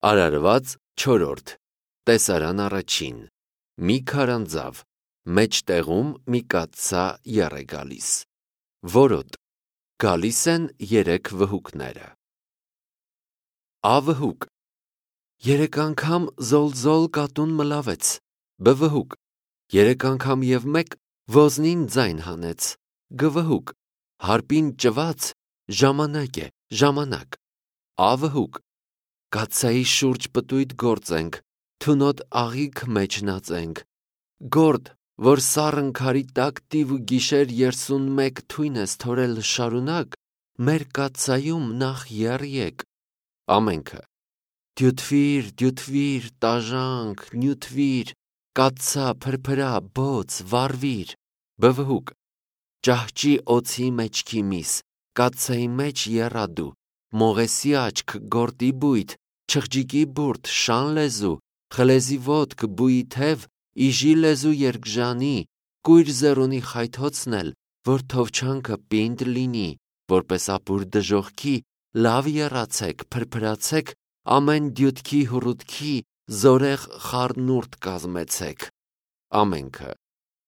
Արարված 4. Տեսարան առաջին. Մի քարանձավ, մեջտեղում մի կաթսա եռ է գալիս, որոտ, գալիս են 3 վհուկները։ Ավհուկ, 3 անգամ զոլ-զոլ կատուն մլավեց, բվհուկ, 3 անգամ և մեկ ոզնին ձայն հանեց, գվհուկ, հարպին ճված, ժամանակ է, ժամանակ, ավհուկ, կաթսայի շուրջ պտույտ գործենք, թունոտ աղիք մեջ նածենք, գործ, որ սառն քարի տակ տիվ ու գիշեր 31 թույն ես թորել շարունակ, մեր կաթսայում նախ եռ եկ, ամենքը, դյութվիր, տաժանք, նյութվիր, կաթսա, փրփրա, բոց, վառվիր, բվհուկ, ճահճի օձի մեջքի միս, կաթսայի մեջ եռադու, մողեսի աչք, գորտի բույթ, չղջիկի բուրդ, շան լեզու, խլեզի ոտք, բույի թև, իժի լեզու երկժանի, կույր զեռունի խայթոցնել, որ թովչանքը պինդ լինի, որպես ապուր դժողքի, լավ եռացեք, փրփրացեք, ամեն դյութքի հուռութքի, զորեղ խառնուրդ կազմեցեք, ամենքը,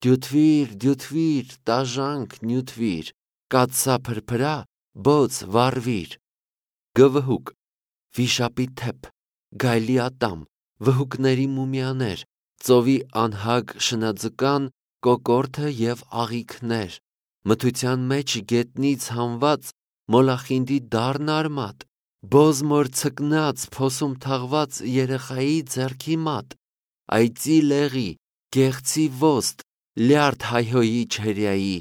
դյութվիր, տաժանք, նյութվիր, կաթսա, փրփրա, բոց, վառվիր, գվհուկ, վիշապի թեփ, գայլի ատամ, վհուկների մումիաներ, ծովի անհագ շնաձկան, կոկորդը և աղիքներ, մթության մեջ գետնից հանված, մոլախինդի դառն արմատ, բոզմոր ցկնած, փոսում թաղված երեխայի ձեռքի մատ, այծի լեղի, գեղցի ոստ, լյարդ հայհոյի չերյայի,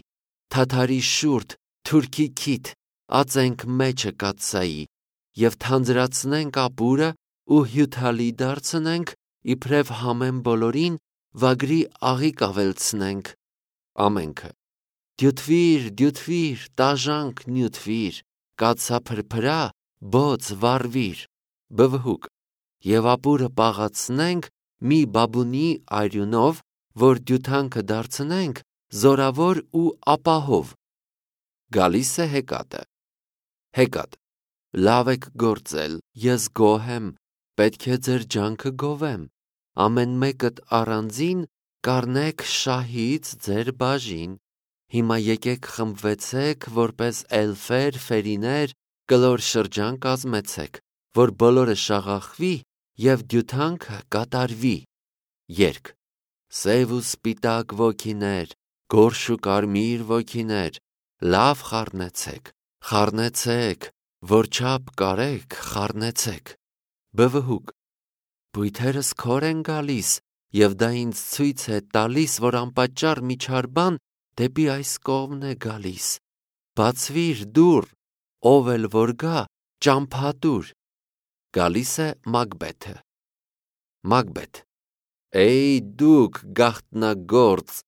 թաթարի շուրթ, թուրքի քիթ, ածենք մեջը կաթսայի, և թանձրացնենք ապուրը ու հյութալի դարձնենք, իբրև համեն բոլորին վագրի աղիք ավելցնենք, ամենքը, դյութվիր, տաժանք, նյութվիր, կաթսա, փրփրա, բոց, վառվիր, բվհուկ, և ապուրը պաղացնենք մի բաբունի արյունով, որ դյութանքը դարձնենք զորավոր ու ապահով, գալիս է հեկատը, հեկատ, լավ եք գործել, ես գոհ եմ, պետք է ձեր ջանքը գովեմ, ամեն մեկդ առանձին կառնեք շահից ձեր բաժին, հիմա եկեք խմբվեցեք, որպես էլֆեր, ֆերիներ, կլոր շրջան կազմեցեք, որ բոլորը շաղախվի և դյութանքը կատարվի, երգ, սև ու սպիտակ ոգիներ, գորշ ու կարմիր ոգիներ, լավ խառնեցեք, որչափ կարեք, խառնեցեք, բվհուկ, բույթերս քոր են գալիս, և դա ինձ ցույց է տալիս, որ անպատճառ միջար բան դեպի այս կողմն է գալիս, բացվիր դուռ, ով էլ որ գա, ճամփա գալիս է Մագբեթը, Մագբեթ, էյ դուք գաղտնագործ,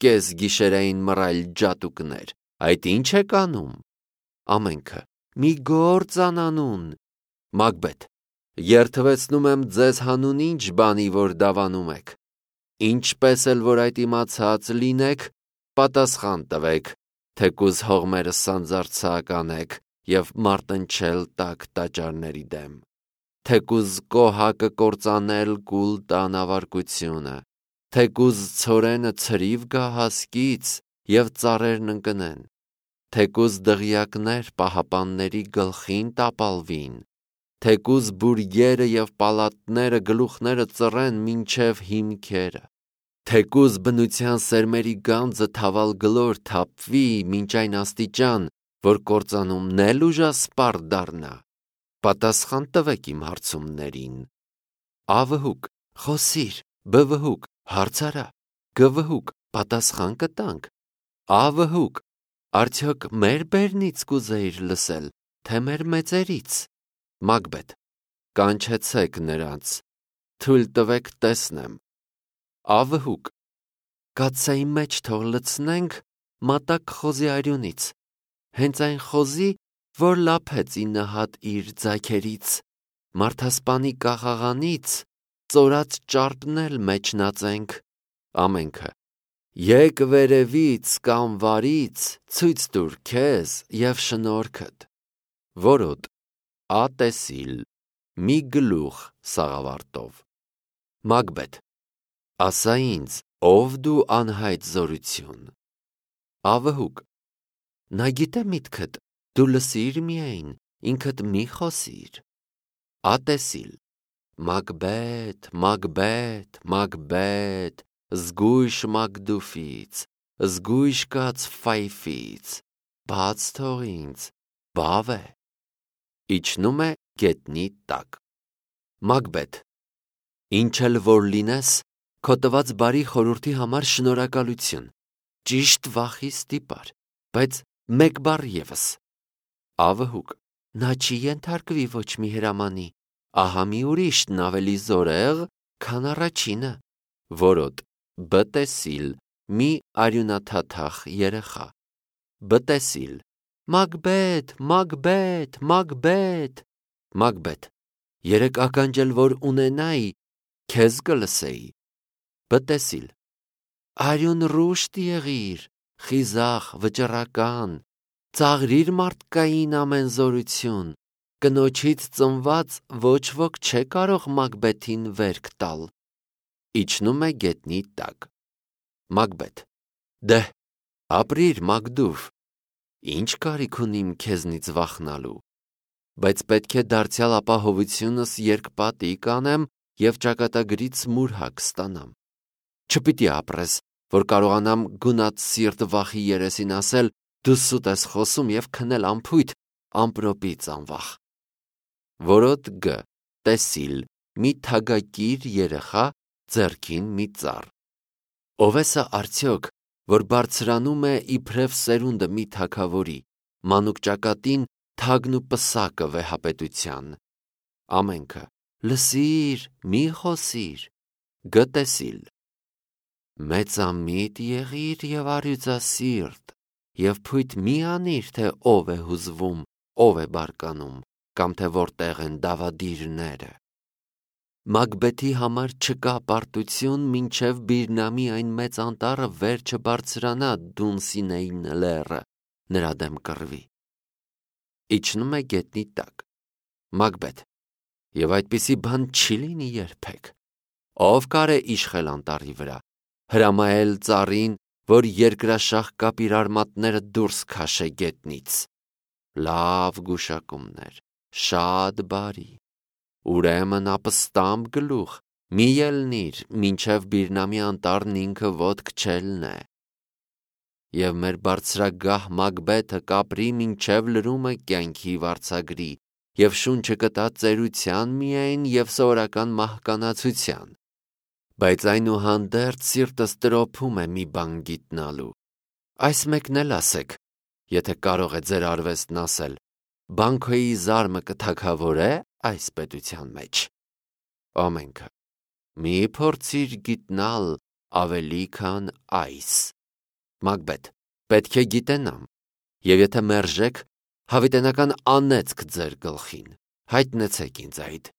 կես գիշերային մռայլ ջատուկներ, այդ ինչ եք անում, ամենքը, մի գործ անանուն, Մագբեթ, երդվեցնում եմ ձեզ հանուն ինչ բանի, որ դավանում եք, ինչպես էլ որ այդ իմացած լինեք, պատասխան տվեք, թեկուզ հողմերը սանձարձակ անեք և մարտնչել տաք տաճարների դեմ, թեկուզ կոհակը կործանել կուլ տան ավարկությունը, թեկուզ ցորենը ցրիվ գա հասկից և ծառերն ընկնեն, թեկուզ դղյակներ պահապանների գլխին տապալվին, թեկուզ բուրգերը և պալատները գլուխները ծռեն մինչև հիմքերը, թեկուզ բնության սերմերի գանձը թավալ գլոր թափվի մինչ այն աստիճան, որ կործանումն էլ ուժասպառ դառնա, պատասխան տվեք իմ հարցումներին, ավհուկ, խոսիր, բվհուկ, հարց արա, գվհուկ, պատասխան կտանք, ավհուկ, արդյոք մեր բերնից կուզեիր լսել, թե մեր մեծերից, Մագբեթ, կանչեցեք նրանց, թույլ տվեք տեսնեմ, ավհուկ, կաթսայի մեջ թող լցնենք մատակ խոզի արյունից, հենց այն խոզի, որ լափեց 9 հատ իր ձագերից, մարդասպանի կաղաղանից, ծորած ճարպն էլ մեջ նածենք, ամենքը, եկ վերևից կամ վարից, ցույց տուր քեզ և շնորհքդ, որոտ, ատեսիլ, մի գլուխ սաղավարտով։ Մագբեթ, ասա ինձ, ով դու անհայտ զորություն։ Ավհուկ, նա գիտե միտքդ, դու լսիր միայն, ինքդ մի խոսիր։ Ատեսիլ, Մագբեթ, Մագբեթ, Մագբեթ, զգույշ Մագդուֆից, զգույշ կաց Ֆայֆից, բաց թող ինձ, բավ է։ Իջնում է գետնի տակ։ Մագբեթ, ինչ էլ որ լինես, քո տված բարի խորհրդի համար շնորհակալություն, ճիշտ վախի ստիպար, բայց մեկ բառ ևս։ Ավհուկ, նա չի ենթարկվի ոչ մի հրամանի, ահա մի ուրիշն ավելի զորեղ, քան առաջինը, որոտ Բտեսիլ, մի արյունաթաթախ երեխա։ Բտեսիլ, Մագբեթ, Մագբեթ, Մագբեթ, Մագբեթ, երեք ականջել որ ունենայի, քեզ կլսեի։ Բտեսիլ, արյուն ռուշտ եղիր, խիզախ, վճռական, ծաղրիր մարդկային ամեն զորություն, կնոջից ծնված ոչ ոք չէ կարող Մագբեթին վերք տալ։ Իջնում է գետնի տակ։ Մագբեթ, դեհ, ապրիր Մագդուվ, ինչ կարիք ունիմ քեզնից վախնալու, բայց պետք է դարձյալ ապահովությունս երկպատի կանեմ և ճակատագրից մուրհակ ստանամ։ Չպիտի ապրես, որ կարողանամ գունատ սիրտ վախի երեսին ասել, դու սուտ ես խոսում և քնել անփույթ, ամպրոպից անվախ։ Որոտ Գ, Տեսիլ, մի թագակիր երեխա, ձեռքին մի ծառ։ Ով է սա արդյոք, որ բարձրանում է իբրև սերունդը մի թագավորի, մանուկ ճակատին թագն ու պսակը վեհապետության։ Ամենքը, լսիր, մի խոսիր։ Գ, Տեսիլ, մեծամիտ եղիր և առյուծասիրտ, և փույթ մի անիր, թե ով է հուզվում, ով է բարկանում, կամ թե որտեղ են դավադիրները։ Մագբեթի համար չկա պարտություն, մինչև Բիրնամի այն մեծ անտառը վեր չբարձրանա Դունսինեին լեռը, նրա դեմ կռվի։ Իջնում է գետնի տակ։ Մագբեթ, և այդպիսի բան չի լինի երբեք։ Ով կարե իշխել անտառի վրա, հրամայել ծառին, որ երկրաշաղ կապ իր արմատները դուրս քաշե գետնից։ Լավ գուշակումներ, շատ բարի։ Ուրեմն ապստամբ գլուխ, մի ելնիր, մինչև Բիրնամի անտառն ինքը ոտք չելնե։ Եվ մեր բարձրագահ Մագբեթը կապրի մինչև լրումը կյանքի վարձագրի, և շունչը կտա ծերության միայն և սովորական մահկանացության։ Բայց այնուհանդերձ սիրտս տրոփում է մի բան գիտնալու։ Այս մեկն էլ ասեք, եթե կարող է ձեր արվեստն ասել, Բանքոյի զարմը կթագավորե այս պետության մեջ։ Ամենքը, մի փորձիր գիտնալ ավելի քան այս։ Մագբեթ, պետք է գիտենամ, և եթե մերժեք, հավիտենական անեծք ձեր գլխին, հայտնեցեք ինձ այդ,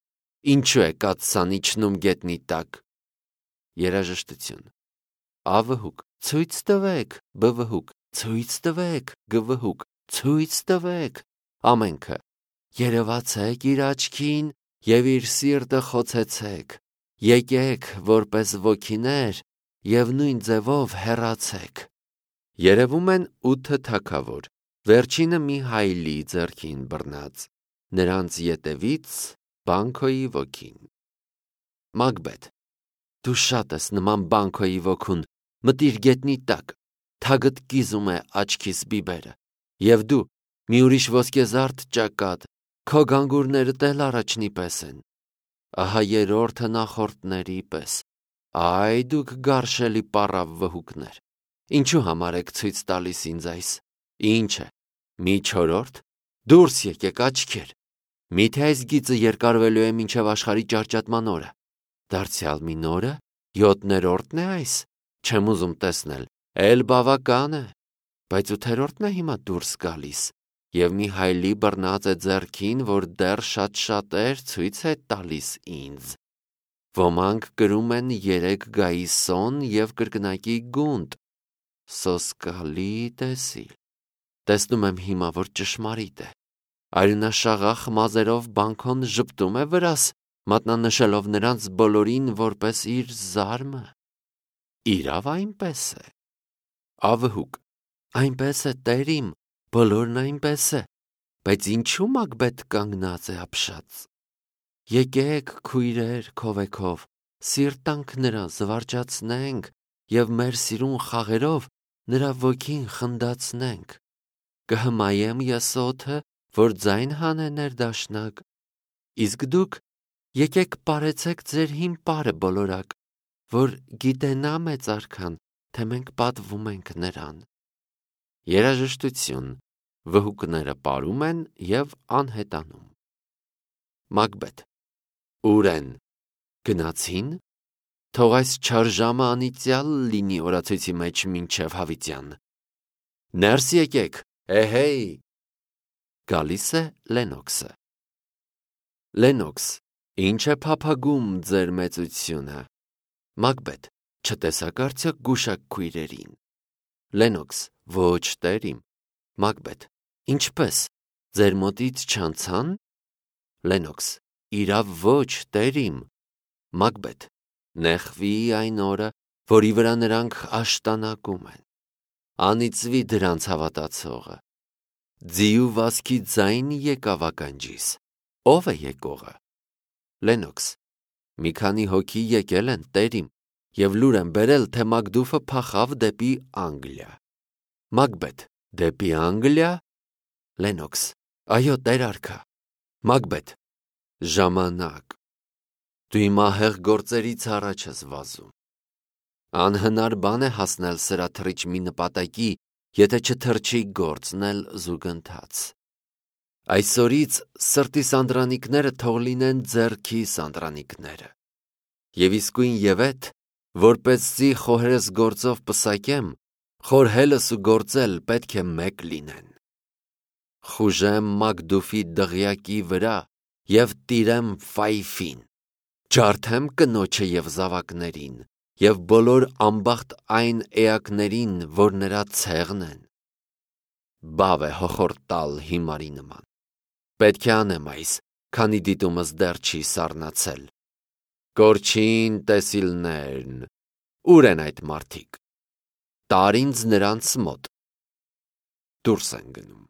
ինչու է կաթսան իջնում գետնի տակ։ Երաժշտություն։ Ավհուկ, ցույց տվեք, բվհուկ, ցույց տվեք, գվհուկ, ցույց տվեք։ Ամենքը, երևացեք իր աչքին և իր սիրտը խոցեցեք, եկեք որպես ոգիներ և նույն ձևով հեռացեք։ Երևում են 8 թագավոր, վերջինը մի հայլի ձեռքին բռնած, նրանց ետևից Բանքոյի ոգին։ Մագբեթ, դու շատ ես նման Բանքոյի ոգուն, մտիր գետնի տակ, թագդ կիզում է աչքիս բիբերը, և դու, մի ուրիշ ոսկեզարդ ճակատ, քո գանգուրներդ էլ առաջնի պես են։ Ահա երրորդը նախորդների պես, այ դուք գարշելի պառավ վհուկներ, ինչու համար եք ցույց տալիս ինձ այս, ինչ է, մի չորրորդ, դուրս եկեք աչքեր, միթե այս գիծը երկարվելու է մինչև աշխարհի ճարճատման օրը, դարձյալ մի նորը, 7-րդն է այս, չեմ ուզում տեսնել, էլ բավական է, բայց 8-րդն է հիմա դուրս գալիս, և մի հայլի բռնած է ձեռքին, որ դեռ շատ-շատեր ցույց է տալիս ինձ։ Ոմանք կրում են 3 գայիսոն և կրկնակի գունդ։ Սոսկալի Տեսիլ։ Տեսնում եմ հիմա, որ ճշմարիտ է։ Արյունաշաղախ մազերով բանքոն ժպտում է վրաս, մատնանշելով նրանց բոլորին որպես իր զարմը։ Իրավ այնպես է։ Ավհուկ. Այնպես է, տեր իմ, բոլորն այնպես է, բայց ինչու Մակբեթ կանգնած է ապշած։ Եկեք, քույրեր, քովեքով, սիրտ տանք նրա, զվարճացնենք և մեր սիրուն խաղերով նրա ոգին խնդացնենք։ Կհմայեմ ես օդը, որ ձայն հանե ներդաշնակ, իսկ դուք եկեք պարեցեք ձեր հին պարը բոլորակ, որ գիտենա մեծ արքան, թե մենք պատվում ենք նրան։ Երաժշտություն, վհուկները պարում են և անհետանում։ Մակբեթ. Ուր են, գնացին, թող այս չար ժամը անիծյալ լինի օրացույցի մեջ մինչև հավիտյան։ Ներս եկեք, էհեյ։ Գալիս է Լենոքսը։ Լենոքս. Ինչ է փափագում ձեր մեծությունը։ Մակբեթ. Չտեսաք արդյոք գուշակ քույրերին։ Լենոքս. Ոչ, տեր իմ։ Մակբեթ. Ինչպես, ձեր մոտից չանցան։ Լենոքս. Իրավ ոչ, տեր իմ։ Մակբեթ. Նեղվի այն օրը, որի վրա նրանք աշտանակում են։ Անիծվի դրանց հավատացողը։ Ձիու վազքի ձայն եկավ ականջիս, ո՞վ է եկողը։ Լենոքս. Մի քանի հոգի եկել են, տեր իմ, և լուր են բերել, թե Մակդուֆը փախավ դեպի Անգլիա։ Մակբեթ. Դեպի Անգլիա։ Լենոքս. Այո, տեր արքա։ Մակբեթ. Ժամանակ։ Դու իմ ահեղ գործերից առաջ ես վազում։ Անհնար բան է հասնել սրաթռիչ մի նպատակի, եթե չթռչի գործնել զուգընթաց։ Այսօրից սրտի սանդրանիկները թող լինեն ձեռքի սանդրանիկները։ Եվ իսկույն ևեթ, որպեսզի խոհերս գործով պսակեմ, խորհելս ու գործել պետք է մեկ լինեն։ Խուժեմ Մակդուֆի դղյակի վրա և տիրեմ Ֆայֆին, ջարդեմ կնոջը և զավակներին, և բոլոր անբախտ այն էակներին, որ նրա ցեղն են։ Բավ է հոխորտալ հիմարի նման։ Պետք է անեմ այս, քանի դիտումս դեռ չի սառնացել։ Կորչին տեսիլներն, ուր են այդ մարդիկ։ Տար ինձ նրանց մոտ։ Դուրս են գնում։